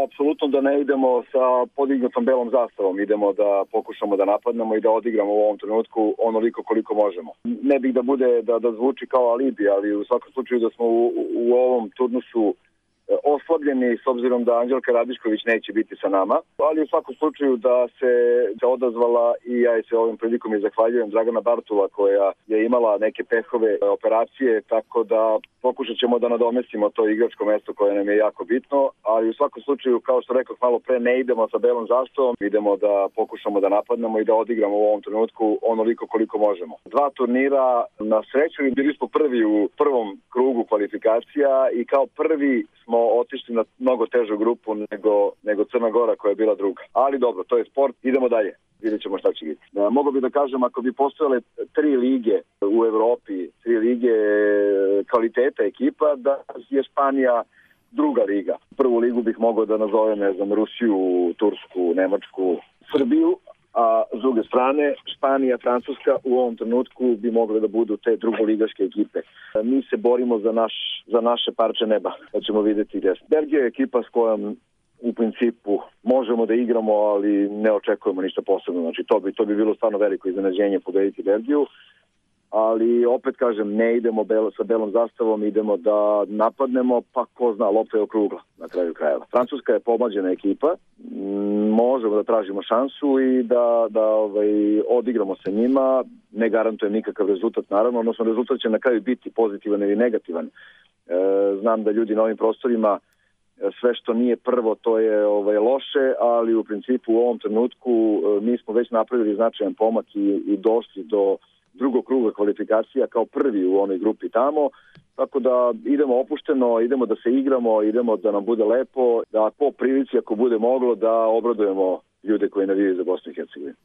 apsolutno da ne idemo sa podignutom belom zastavom. Idemo da pokušamo da napadnemo i da odigramo u ovom trenutku onoliko koliko možemo. Ne bih da bude da zvuči kao alibi, ali u svakom slučaju da smo u ovom turnusu oslabljeni s obzirom da Anđelka Radišković neće biti sa nama, ali u svakom slučaju da se odazvala i ja se ovim prilikom i zahvaljujem Dragana Bartula koja je imala neke pehove operacije, tako da pokušat ćemo da nadomestimo to igračko mesto koje nam je jako bitno, ali u svakom slučaju, kao što rekao malo pre, ne idemo sa belom zastavom, idemo da pokušamo da napadnemo i da odigramo u ovom trenutku onoliko koliko možemo. 2 turnira na sreću i bili smo prvi u prvom krugu kvalifikacija i kao prvi smo otišli na mnogo težu grupu nego Crna Gora koja je bila druga. Ali dobro, to je sport, idemo dalje. Vidjet ćemo šta će biti. Mogu bi da kažem, ako bi postojale 3 lige u Evropi, 3 lige kvaliteta ekipa, da je Španija druga liga. Prvu ligu bih mogao da nazovem, ne znam, Rusiju, Tursku, Nemačku, Srbiju, a s druge strane Španija, Francuska u ovom trenutku bi mogle da budu te drugoligaške ekipe. Mi se borimo za naše parče neba, da ćemo vidjeti gdje. Belgija je ekipa s kojom u principu možemo da igramo, ali ne očekujemo ništa posebno. Znači to bi bilo stvarno veliko iznenađenje pobediti Belgiju. Ali opet kažem, ne idemo sa belom zastavom, idemo da napadnemo, pa ko zna, lopta je okrugla na kraju krajeva. Francuska je pomlađena ekipa, možemo da tražimo šansu i da odigramo sa njima, ne garantujem nikakav rezultat naravno, odnosno rezultat će na kraju biti pozitivan ili negativan. Znam da ljudi na ovim prostorima sve što nije prvo to je loše, ali u principu u ovom trenutku mi smo već napravili značajan pomak i došli do drugog kruga kvalifikacija kao prvi u onoj grupi tamo, tako da idemo opušteno, idemo da se igramo, idemo da nam bude lepo, da po prilici ako bude moglo da obradujemo ljude koji navijaju za Bosnu i Hercegovinu.